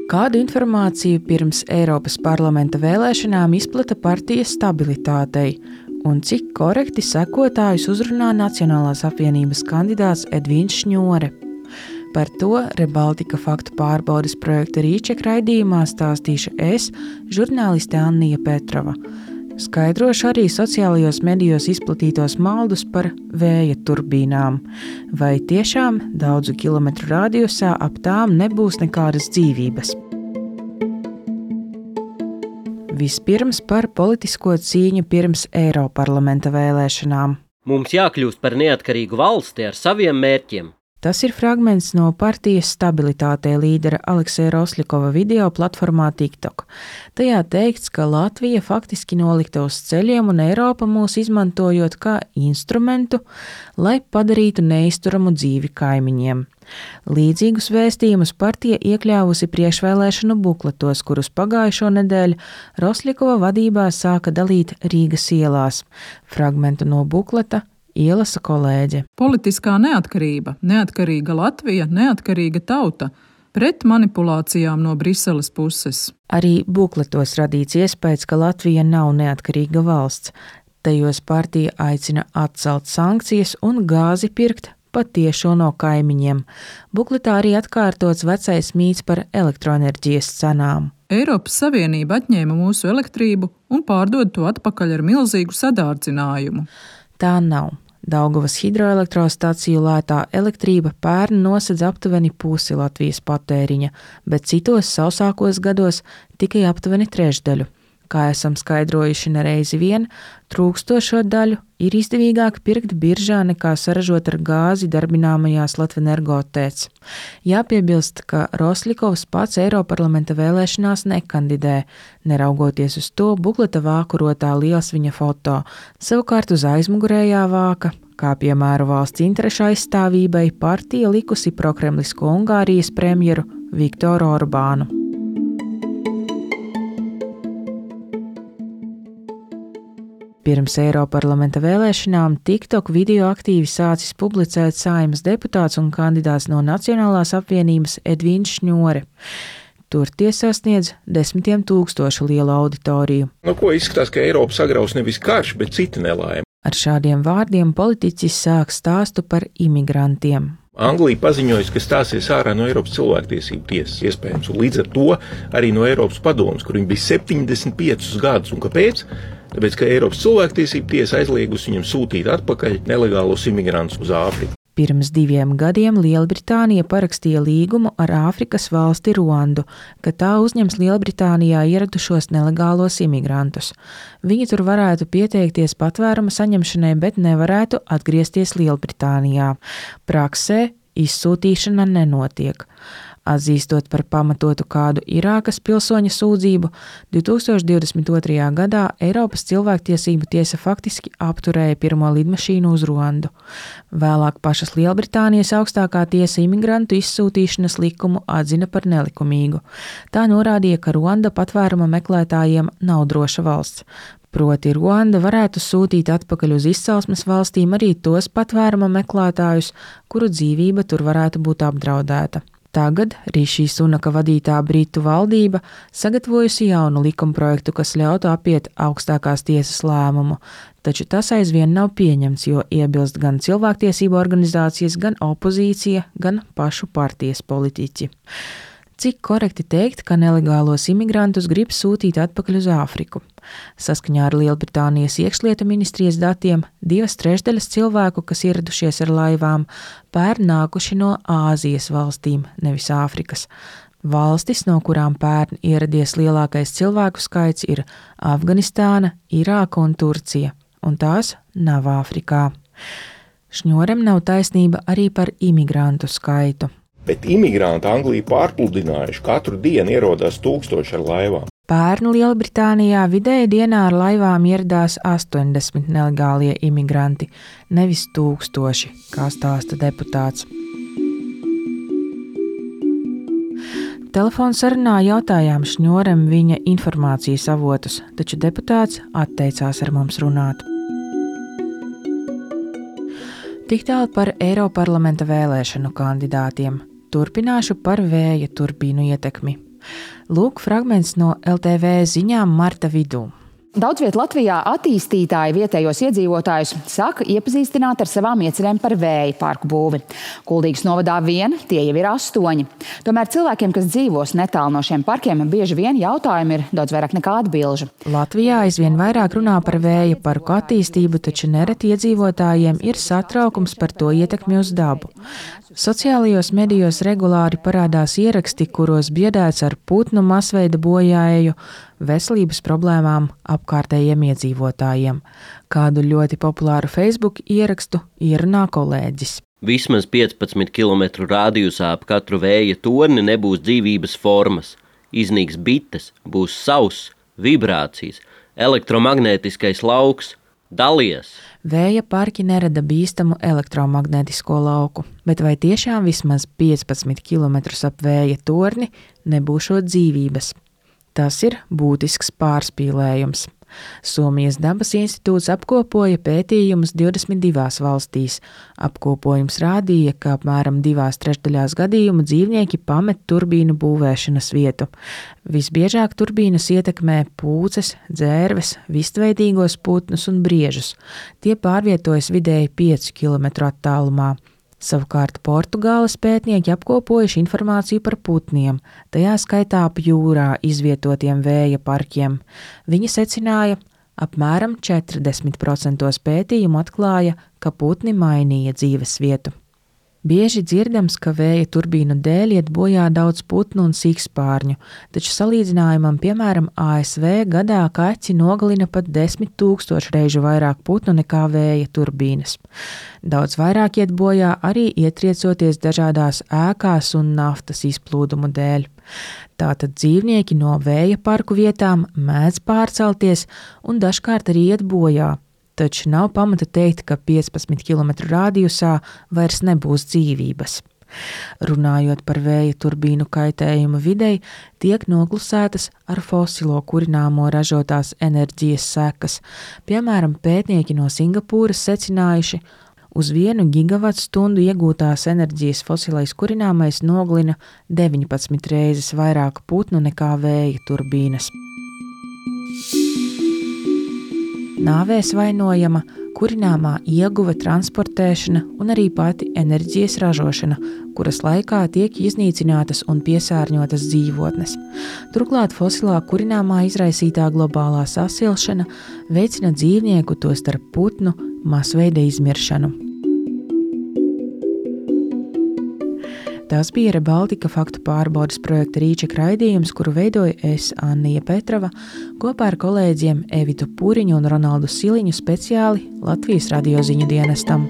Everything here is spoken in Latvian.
Kādu informāciju pirms Eiropas parlamenta vēlēšanām izplata partija Stabilitātei un cik korekti sekotājus uzrunā Nacionālās apvienības kandidāts Edvīns Šņore? Par to Rebaltika faktu pārbaudes projekta Rīček raidījumā stāstīšu es, žurnāliste Annija Petrova. Skaidrošu arī sociālajos medijos izplatītos maldus par vēja turbīnām. Vai tiešām daudzu kilometru radiusā ap tām nebūs nekādas dzīvības? Vispirms par politisko cīņu pirms Eiroparlamenta vēlēšanām. Mums jākļūst par neatkarīgu valsti ar saviem mērķiem. Tas ir fragments no partijas Stabilitātei līdera Alekseja Rosļikova video platformā TikTok. Tajā teikts, ka Latvija faktiski nolikta uz ceļiem un Eiropa mūs izmantojot kā instrumentu, lai padarītu neizturamu dzīvi kaimiņiem. Līdzīgus vēstījumus partija iekļāvusi priekšvēlēšanu bukletos, kurus pagājušo nedēļu Rosļikova vadībā sāka dalīt Rīgas ielās. Fragmentu no bukleta ielasa kolēģe. Politiskā neatkarība, neatkarīga Latvija, neatkarīga tauta, pret manipulācijām no Briseles puses. Arī bukletos radīts iespējas, ka Latvija nav neatkarīga valsts. Tajos partija aicina atcelt sankcijas un gāzi pirkt patiešo no kaimiņiem. Bukletā arī atkārtots vecais mīts par elektroenerģijas cenām. Eiropas Savienība atņēma mūsu elektrību un pārdod to atpakaļ ar milzīgu sadārdzinājumu. Tā nav. Daugavas hidroelektrostaciju lētā elektrība pērn nosedz aptuveni pusi Latvijas patēriņa, bet citos sausākos gados tikai aptuveni trešdaļu. Kā esam skaidrojuši nereizi vien, trūkstošo daļu ir izdevīgāk pirkt biržā nekā saražot ar gāzi darbināmajās Latvenergo TEC. Jāpiebilst, ka Rosļikovs pats Eiroparlamenta vēlēšanās nekandidē, neraugoties uz to bukleta vākurotā liels viņa foto, savukārt uz aizmugurējā vāka, kā piemēru valsts interešu aizstāvībai, partija likusi prokremlisko Ungārijas premjeru Viktoru Orbānu. Pirms Eiroparlamenta vēlēšanām TikTok video aktīvi sācis publicēt Saeimas deputāts un kandidāts no Nacionālās apvienības Edvīns Šņore. Tur tie sasniedz 10 000 lielu auditoriju. No ko izskatās, ka Eiropa sagraus nevis karš, bet cita nelaime. Ar šādiem vārdiem politiķis sāk stāstu par imigrantiem. Anglija paziņojusi, ka stāsies ārā no Eiropas cilvēktiesību tiesas, iespējams, un līdz ar to arī no Eiropas padomes, kur viņi bija 75 gadus. Un kāpēc? Tāpēc, ka Eiropas cilvēktiesību tiesa aizliegusi viņam sūtīt atpakaļ nelegālos imigrantus uz Āfriku. Pirms 2 gadiem Lielbritānija parakstīja līgumu ar Āfrikas valsti Ruandu, ka tā uzņems Lielbritānijā ieradušos nelegālos imigrantus. Viņi tur varētu pieteikties patvēruma saņemšanai, bet nevarētu atgriezties Lielbritānijā. Praksē izsūtīšana nenotiek. Atzīstot par pamatotu kādu Irākas pilsoņa sūdzību, 2022. gadā Eiropas cilvēktiesību tiesa faktiski apturēja pirmo lidmašīnu uz Ruandu. Vēlāk pašas Lielbritānijas augstākā tiesa imigrantu izsūtīšanas likumu atzina par nelikumīgu. Tā norādīja, ka Ruanda patvēruma meklētājiem nav droša valsts. Proti Ruanda varētu sūtīt atpakaļ uz izcelsmes valstīm arī tos patvēruma meklētājus, kuru dzīvība tur varētu būt apdraudēta. Tagad Rišī Sunaka vadītā Britu valdība sagatavojusi jaunu likumprojektu, kas ļautu apiet augstākās tiesas lēmumu, taču tas aizvien nav pieņemts, jo iebilst gan cilvēktiesību organizācijas, gan opozīcija, gan pašu partijas politiķi. Cik korekti teikt, ka nelegālos imigrantus grib sūtīt atpakaļ uz Āfriku? Saskaņā ar Lielbritānijas iekšlietu ministrijas datiem 2/3 cilvēku, kas ieradušies ar laivām, pērn nākuši no Āzijas valstīm, nevis Āfrikas. Valstis, no kurām pērn ieradies lielākais cilvēku skaits, ir Afganistāna, Irāka un Turcija, un tās nav Āfrikā. Šņorem nav taisnība arī par imigrantu skaitu. Bet imigranti Angliju pārpludinājuši, katru dienu ierodās 1000 ar laivām. Pērn Lielbritānijā vidēji dienā ar laivām ieradās 80 nelegālie imigranti, nevis 1000, kā stāsta deputāts. Telefonsarunā jautājām Šņorem viņa informācijas avotus, taču deputāts atteicās ar mums runāt. Tik tālu par Eiroparlamenta vēlēšanu kandidātiem. Turpināšu par vēja turbīnu ietekmi. Lūk fragments no LTV ziņām marta vidū. Daudz viet Latvijā attīstītāji vietējos iedzīvotājus saka iepazīstināt ar savām iecerēm par vēja parku būvi. Kuldīgas novadā vien tie jau ir 8. Tomēr cilvēkiem, kas dzīvos netālu no šiem parkiem, bieži vien jautājumi ir daudz vairāk nekā atbilžu. Latvijā aizvien vairāk runā par vēja parku attīstību, taču nereti iedzīvotājiem ir satraukums par to ietekmi uz dabu. Sociālajos medijos regulāri parādās ieraksti, kuros biedēts ar putnu masveida bojāēju, veselības problēmām apkārtējiem iedzīvotājiem. Kādu ļoti populāru Facebook ierakstu ierunā kolēģis. Vismaz 15 km rādījusā ap katru vēja torni nebūs dzīvības formas. Iznīks bites, būs sauss, vibrācijas, elektromagnētiskais lauks. Dalies! Vēja parki nerada bīstamu elektromagnētisko lauku, bet vai tiešām vismaz 15 km ap vēja torni nebūšot dzīvības? Tas ir būtisks pārspīlējums. Somijas dabas institūts apkopoja pētījumus 22 valstīs. Apkopojums rādīja, ka apmēram 2/3 gadījumu dzīvnieki pamet turbīnu būvēšanas vietu. Visbiežāk turbīnas ietekmē pūces, dzērves, vistveidīgos putnus un briežus. Tie pārvietojas vidēji 5 km attālumā. Savukārt Portugāles pētnieki apkopojuši informāciju par putniem, tajā skaitā ap jūrā izvietotiem vēja parkiem. Viņi secināja, apmēram 40% pētījumu atklāja, ka putni mainīja dzīves vietu. Bieži dzirdams, ka vēja turbīnu dēļ iet bojā daudz putnu un sikspārņu, taču salīdzinājumam, piemēram, ASV gadā kaķi nogalina pat 10 000 reižu vairāk putnu nekā vēja turbīnas. Daudz vairāk iet bojā arī ietriecoties dažādās ēkās un naftas izplūdumu dēļ. Tātad dzīvnieki no vēja parku vietām mēdz pārcelties un dažkārt arī iet bojā. Taču nav pamata teikt, ka 15 km rādījusā vairs nebūs dzīvības. Runājot par vēja turbīnu kaitējumu videi, tiek noklusētas ar fosilo kurināmo ražotās enerģijas sekas. Piemēram, pētnieki no Singapūras secinājuši, uz 1 gigavatstundu iegūtās enerģijas fosilais kurināmais nogalina 19 reizes vairāk putnu nekā vēja turbīnas. Nāvēs vainojama kurināmā ieguve, transportēšana un arī pati enerģijas ražošana, kuras laikā tiek iznīcinātas un piesārņotas dzīvotnes. Turklāt fosilā kurināmā izraisītā globālā sasilšana veicina dzīvnieku, tostarp putnu, masveida izmiršanu. Tas bija ReBaltica faktu pārbaudes projekta Rīček raidījums, kuru veidoja es, Annija Petrova, kopā ar kolēģiem Evitu Puriņu un Ronaldu Siliņu speciāli Latvijas radio ziņu dienestam.